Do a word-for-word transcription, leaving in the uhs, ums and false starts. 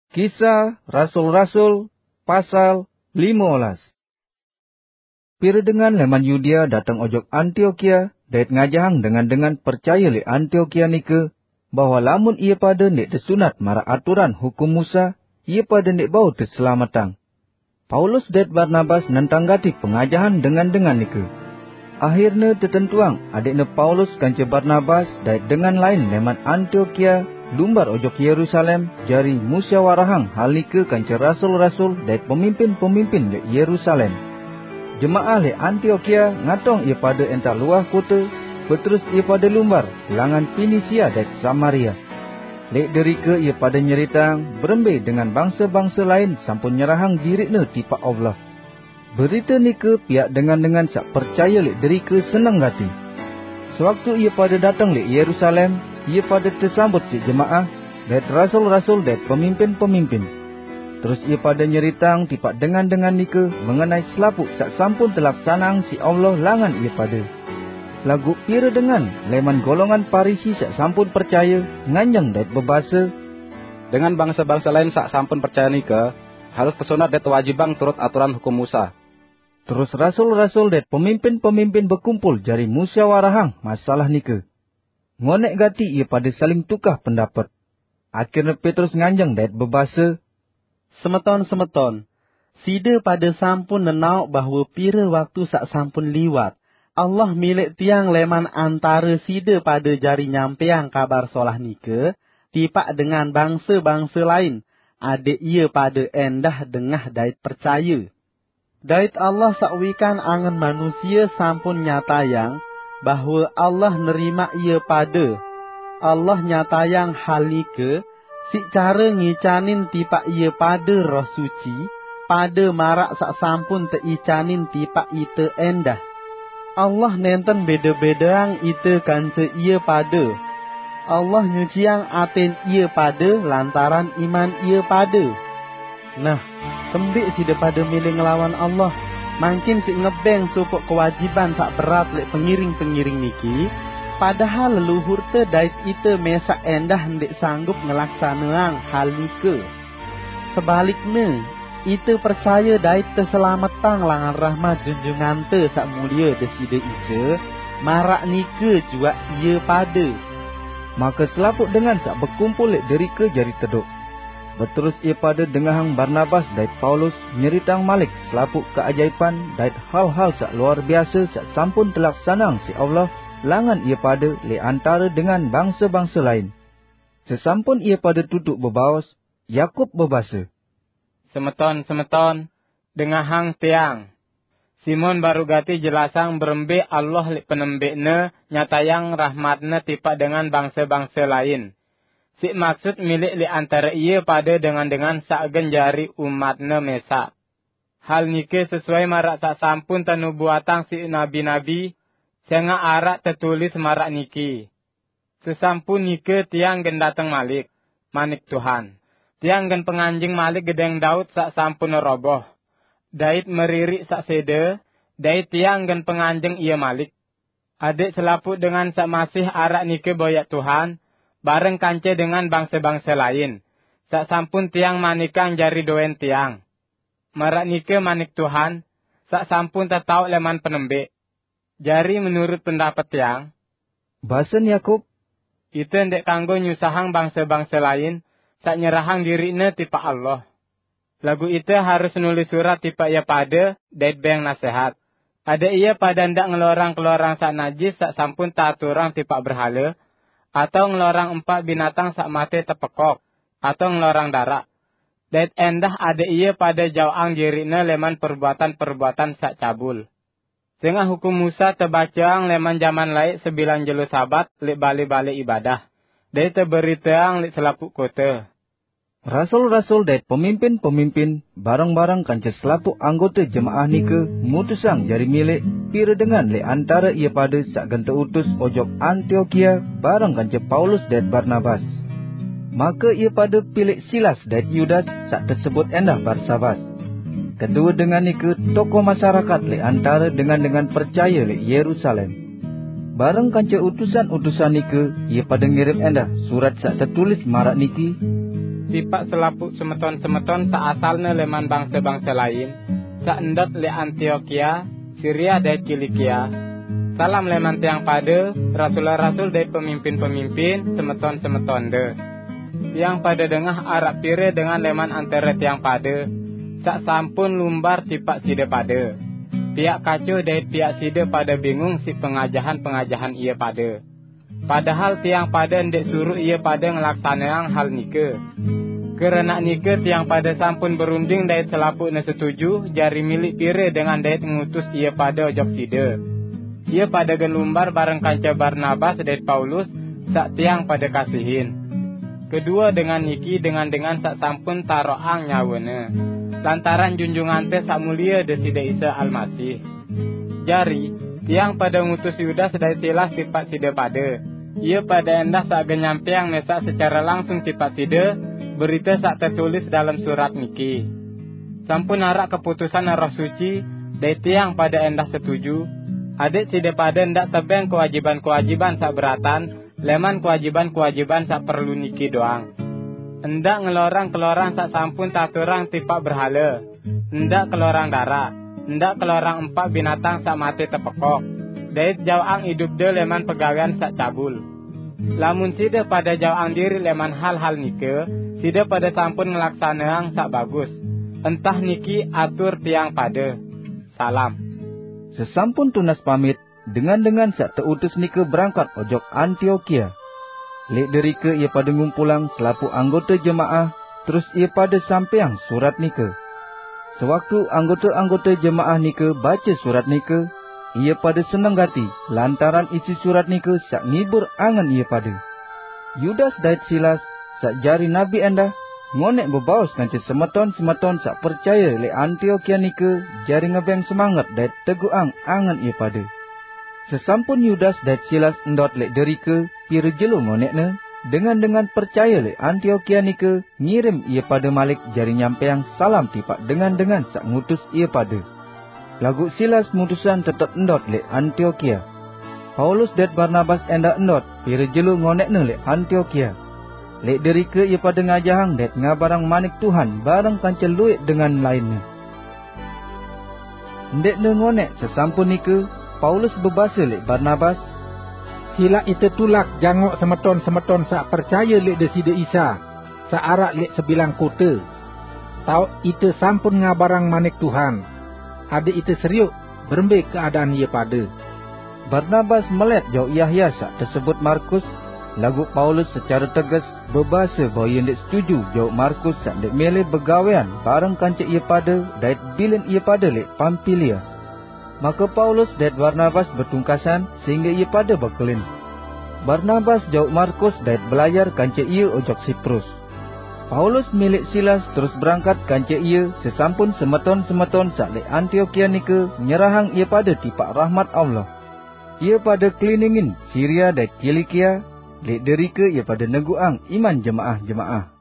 Kisah Rasul-Rasul, pasal lima belas. Pire dengan leman Yudea dateng ojok Antiokia, dait ngajahang dengan-dengan percaya leq Antiokia nike, bahwa lamun ie pade ndeq tesunat maraq aturan Hukum Musa, ie pade ndeq bau teselametang. Paulus dait Barnabas nentang gati pengajahan dengan-dengan nike. Ahirne tetentuang adeqne Paulus kance Barnabas dait dengan lain leman Antiokia lumbar ojok Yerusalem, jari musyawarahang hal nike kance rasul-rasul dait pemimpin-pemimpin leq Yerusalem. Jemaah leq Antiokia ngatong ie pade entar luah kote, beterus ie pade lumbar langan Pinisia dait Samaria. Leq derike ie pade nyeritang berembe dengan bangse-bangse lain sampun nyerahang diriqne tipaq Allah. Berite nike piaq dengan-dengan saq percaye leq derike seneng gati. Sewaktu ie pade dateng leq Yerusalem, ie pade tesambut siq jemaah, dait rasul-rasul dait pemimpin-pemimpin. Terus ie pade nyeritang tipaq dengan-dengan nike mengenai selapuq saq sampun telaksaneang siq Allah langan ie pade. Laguq pire dengan leman golongan Parisi saq sampun percaye nganjeng dait bebase, "Dengan bangse-bangse lain saq sampun percaye nike harus tesunat dait tewajibang turut aturan Hukum Musa." Terus rasul-rasul dait pemimpin-pemimpin bekumpul jari musyawarahang masalah nike. Ngoneq gati ie pade saling tukah pendapet. Ahirne Petrus nganjeng dait bebase, "Semeton-semeton, side pade sampun nenaoq bahwe pire waktu saq sampun liwat, Allah milih tiang leman antare side pade jari nyampeang Kabar Solah nike tipaq dengan bangse-bangse lain, adeq ie pade endah dengah dait percaye. Dait Allah saq wikan angen manusie sampun nyatayang bahwe Allah nerimaq ie pade. Allah nyatayang hal nike siq care ngicanin tipaq ie pade Roh Suci, pade maraq saq sampun teicanin tipaq ite endah. Allah nenten bede-bedeang ite kance ie pade. Allah nyuciang aten ie pade lantaran iman ie pade. Nah, kembeq side pade mele ngelawan Allah, mangkin siq ngebeng sopoq kewajiban saq berat leq pengiring-pengiring niki, padahal leluhurte dait ite mesaq endah ndeq sanggup ngelaksaneang hal nike. Sebalikne, ite percaye dait teselametang langan rahmat Junjungante Saq Mulie Deside Isa, maraq nike juaq ie pade." Make selapuq dengan saq bekumpul leq derike jari tedoq. Beterus ie pade dengahang Barnabas dait Paulus nyeritang malik selapuq keajaipan dait hal-hal saq luar biase saq sampun telaksaneang siq Allah langan ie pade leq antare dengan bangse-bangse lain. Sesampun ie pade tutuq bebaos, Yakub bebase, "Semeton-semeton, dengahang tiang. Simon baruq gati jelasang berembe Allah leq penembeqne nyatayang rahmat-Ne tipaq dengan bangse-bangse lain, siq maksut milih leq antare ie pade dengan-dengan saq gen jari umat-Ne mesaq. Hal nike sesuai maraq saq sampun tenubuatang siq nabi-nabi, sengaq araq tetulis maraq niki, 'Sesampun nike tiang gen dateng malik,' manik Tuhan, 'tiang gen penganjeng malik gedeng Daud saq sampun roboh, dait meririq saq sede, dait tiang gen penganjeng ie malik.' Adeq selapuq dengan saq masih araq nike boyaq Tuhan, bareng kance dengan bangse-bangse lain, saq sampun tiang manikang jari doen tiang. Maraq nike manik Tuhan, saq sampun tetaoq leman penembeq. Jari menurut pendapet tiang," basen Yakub, "ite ndeq kanggo nyusahang bangse-bangse lain saq nyerahang diriqne tipaq Allah. Laguq ite harus nulis surat tipaq ie pade dait beng nasehat, adeq ie pade ndaq ngelorang keloran saq najis saq sampun teaturang tipaq berhale, atao ngelorang empaq binatang saq mate tepekok, atao ngelorang daraq. Dait endah adeq ie pade jaoqang diriqne leman perbuatan-perbuatan saq cabul. Sengaq Hukum Musa tebaceang leman jaman laeq sebilang jelo Sabat leq bale-bale ibadah, dait teberiteang leq selapuq kote." Rasul-rasul dait pemimpin-pemimpin, bareng-bareng kance selapuq anggote jemaah nike, mutusang jari milih pire dengan leq antare ie pade saq gen teutus ojok Antiokia bareng kance Paulus dait Barnabas. Make ie pade pilih Silas dait Yudas saq tesebut endah Barsabas. Kedue dengan nike tokoh masyarakat leq antare dengan-dengan percaye leq Yerusalem. Bareng kance utusan-utusan nike, ie pade ngirim endah surat saq tetulis maraq niki, Tipaq selapuq semeton-semeton saq asalne leman bangse-bangse lain, saq ndot leq Antiokia, Siria dait Kilikia. Salam leman tiang pade, rasul-rasul dait pemimpin-pemimpin, semeton-semetonde. Tiang pade dengah araq pire dengan leman antare tiang pade, saq sampun lumbar tipaq side pade. Piaq kacoh dait piaq side pade bingung siq pengajahan-pengajahan ie pade. Padahal tiang pade ndeq suruq ie pade ngelaksaneang hal nike. Keranaq nike tiang pade sampun berunding dait selapuqne setuju jari milik pire dengan dait ngutus ie pade ojok side. Ie pade gen lumbar bareng kance Barnabas dait Paulus, saq tiang pade kasihin. Kedue dengan niki dengan-dengan saq sampun taroqang nyawene, lantaran Junjungante Saq Mulie Deside Isa Almasih. Jari, tiang pade ngutus Yudas dait Silas tipaq side pade. Ie pade endah saq gen nyampeang mesaq secare langsung tipaq side berite saq tetulis dalem surat niki. Sampun araq keputusan Roh Suci, dait tiang pade endah setuju, adeq side pade ndaq tebeng kewajiban-kewajiban saq beratan leman kewajiban-kewajiban saq perlu niki doang. Ndaq ngelorang kelorang saq sampun taturang tipaq berhale, ndaq kelorang daraq, ndaq kelorang empaq binatang saq mate tepekok, dait jaoqang idupde leman pegawean saq cabul. Lamun side pade jaoqang diriq leman hal-hal nike, side pade sampun ngelaksaneang saq bagus. Entah niki atur tiang pade. Salam. Sesampun tunas pamit, dengan-dengan saq teutus nike berangkat ojok Antiokia. Leq derike ie pade ngumpulang selapuq anggote jemaah, terus ie pade sampeang surat nike. Sewaktu anggote-anggote jemaah nike bace surat nike, ie pade seneng gati lantaran isi surat nike saq ngibur angen ie pade. Yudas dait Silas, saq jari nabi endah, ngoneq bebaos kance semeton-semeton saq percaye leq Antiokia nike jari ngebeng semanget dait teguqang angen ie pade. Sesampun Yudas dait Silas ndot leq derike pire jelo ngoneqne, dengan-dengan percaye leq Antiokia nike ngirim ie pade malik jari nyampeang salam tipaq dengan-dengan saq ngutus ie pade. Laguq Silas mutusang tetep ndot leq Antiokia. Paulus dait Barnabas endah ndot pire jelo ngoneqne leq Antiokia. Leq derike ie pade ngajahang dait ngabarang manik Tuhan bareng kance lueq dengan lainne. Ndeqne ngoneq sesampun nike, Paulus bebase leq Barnabas, "Silaq ite tulak jangoq semeton-semeton saq percaye leq Deside Isa, saq araq leq sebilang kote, taoq ite sampun ngabarang manik Tuhan, adeq ite serioq berembe keadaan ie pade." Barnabas melet jauq Yahya saq tesebut Markus, laguq Paulus secare teges bebase bahwe ie ndeq setuju jauq Markus saq ndeq mele begawean bareng kance ie pade dait bilin ie pade leq Pampilia. Make Paulus dait Barnabas betungkasan sehingge ie pade bekelin. Barnabas jauq Markus dait belayar kance ie ojok Siprus. Paulus milik Silas terus berangkat kance ie sesampun semeton-semeton saq leq Antiokia nike nyerahang ie pade tipaq rahmat Allah. Ie pade keliningin Siria dait Kilikia, leq derike ie pade neguqang iman jemaah-jemaah.